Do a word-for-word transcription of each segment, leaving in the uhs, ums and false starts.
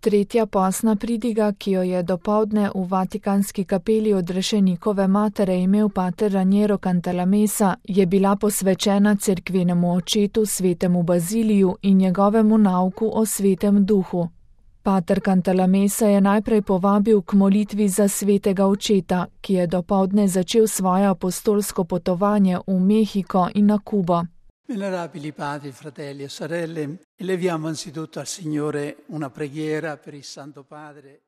Tretja postna pridiga, ki jo je dopoldne v Vatikanski kapeli odrešenikove matere imel pater Raniero Cantalamessa, je bila posvečena cerkvenemu očetu svetemu Baziliju in njegovemu nauku o svetem duhu. Pater Cantalamessa je najprej povabil k molitvi za svetega očeta, ki je dopoldne začel svoje apostolsko potovanje v Mehiko in na Kubo. Venerabili padri, fratelli e sorelle, eleviamo anzitutto al Signore una preghiera per il Santo Padre.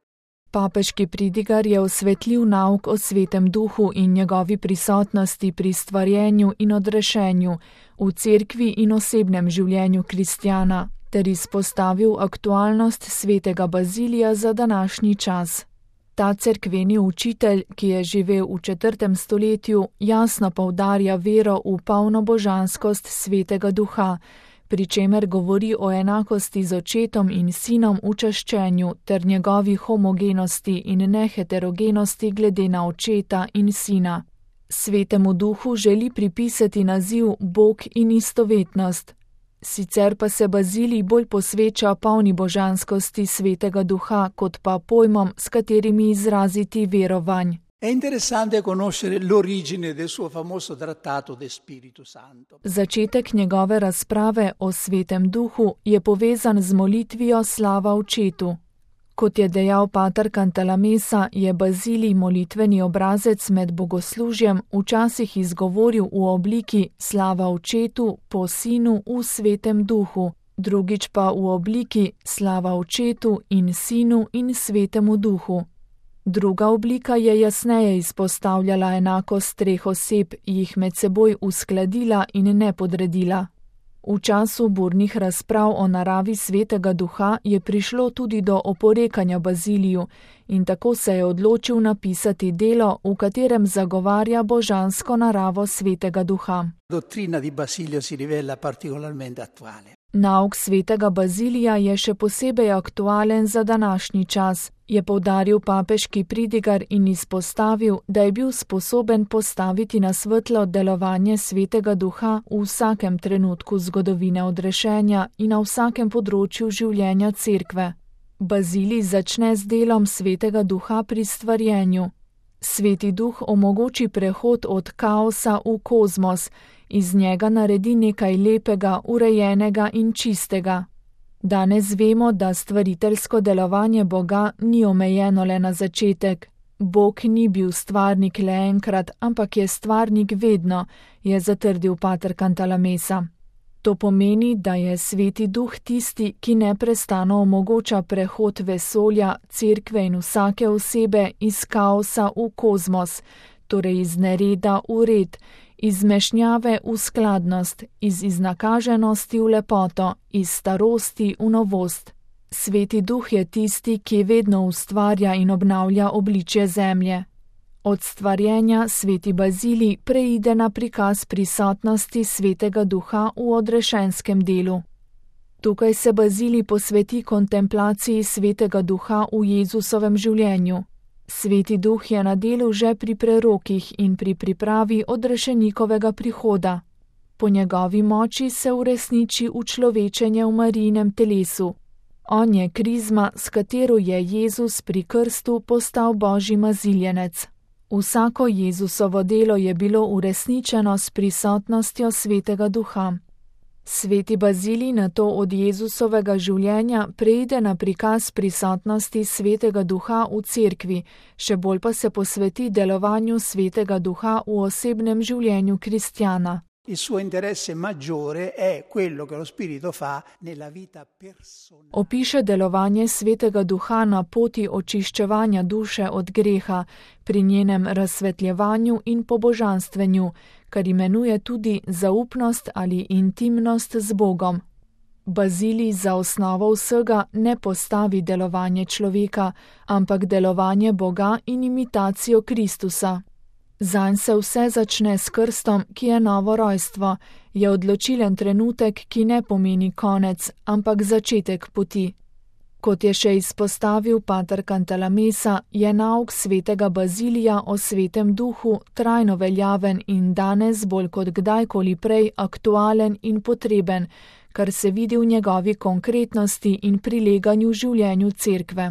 Papeški pridigar je osvetlil nauk o svetem duhu in njegovi prisotnosti pri stvarjenju in odrešenju v cerkvi in osebnem življenju kristjana, ter izpostavil aktualnost svetega Bazilija za današnji čas. Ta cerkveni učitelj, ki je živel v četrtem stoletju, jasno poudarja vero v polno božanskost svetega duha, pri čemer govori o enakosti z očetom in sinom v čaščenju ter njegovi homogenosti in neheterogenosti glede na očeta in sina. Svetemu duhu želi pripisati naziv Bog in istovetnost. Sicer pa se Bazilij bolj posveča polni božanskosti svetega duha, kot pa pojmom, s katerimi izraziti verovanj. È interessante conoscere l'origine del suo famoso trattato de Spiritu Santo. Začetek njegove razprave o svetem duhu je povezan z molitvijo slava očetu. Kot je dejal pater Cantalamessa, je Bazilij molitveni obrazec med bogoslužjem včasih izgovoril v obliki slava očetu po sinu v svetem duhu, drugič pa v obliki slava očetu in sinu in svetemu duhu. Druga oblika je jasneje izpostavljala enakost treh oseb, jih med seboj uskladila in ne podredila. V času burnih razprav o naravi svetega duha je prišlo tudi do oporekanja Baziliju in tako se je odločil napisati delo, v katerem zagovarja božansko naravo svetega duha. Dottrina di Basilio si rivela particolarmente attuale. Nauk svetega Bazilija je še posebej aktualen za današnji čas, je poudaril papeški pridigar in izpostavil, da je bil sposoben postaviti na svetlo delovanje svetega duha v vsakem trenutku zgodovine odrešenja in na vsakem področju življenja cerkve. Bazilij začne z delom svetega duha pri stvarjenju. Sveti duh omogoči prehod od kaosa v kozmos, iz njega naredi nekaj lepega, urejenega in čistega. Danes vemo, da stvariteljsko delovanje Boga ni omejeno le na začetek. Bog ni bil stvarnik le enkrat, ampak je stvarnik vedno, je zatrdil pater Cantalamessa. To pomeni, da je sveti duh tisti, ki neprestano omogoča prehod vesolja, cerkve in vsake osebe iz kaosa v kozmos, torej iz nereda v red, iz mešnjave v skladnost, iz iznakaženosti v lepoto, iz starosti v novost. Sveti duh je tisti, ki vedno ustvarja in obnavlja obličje zemlje. Od stvarjenja sveti Bazilij preide na prikaz prisotnosti svetega duha v odrešenskem delu. Tukaj se Bazilij posveti kontemplaciji svetega duha v Jezusovem življenju. Sveti duh je na delu že pri prerokih in pri pripravi odrešenikovega prihoda. Po njegovi moči se uresniči učlovečenje v Marijinem telesu. On je krizma, s katero je Jezus pri krstu postal Božji maziljenec. Vsako Jezusovo delo je bilo uresničeno s prisotnostjo svetega duha. Sveti Bazilij nato od Jezusovega življenja preide na prikaz prisotnosti svetega duha v cerkvi, še bolj pa se posveti delovanju svetega duha v osebnem življenju kristjana. Il suo interesse maggiore è quello che lo Spirito fa nella vita personale. Opiše delovanje svetega duha na poti očiščevanja duše od greha, pri njenem razsvetljevanju in pobožanstvenju, kar imenuje tudi zaupnost ali intimnost z Bogom. Bazilij za osnovo vsega ne postavi delovanje človeka, ampak delovanje Boga in imitacijo Kristusa. Zanj se vse začne s krstom, ki je novo rojstvo, je odločilen trenutek, ki ne pomeni konec, ampak začetek poti. Kot je še izpostavil pater Cantalamessa, je nauk svetega Bazilija o svetem duhu trajno veljaven in danes bolj kot kdajkoli prej aktualen in potreben, kar se vidi v njegovi konkretnosti in prileganju življenju cerkve.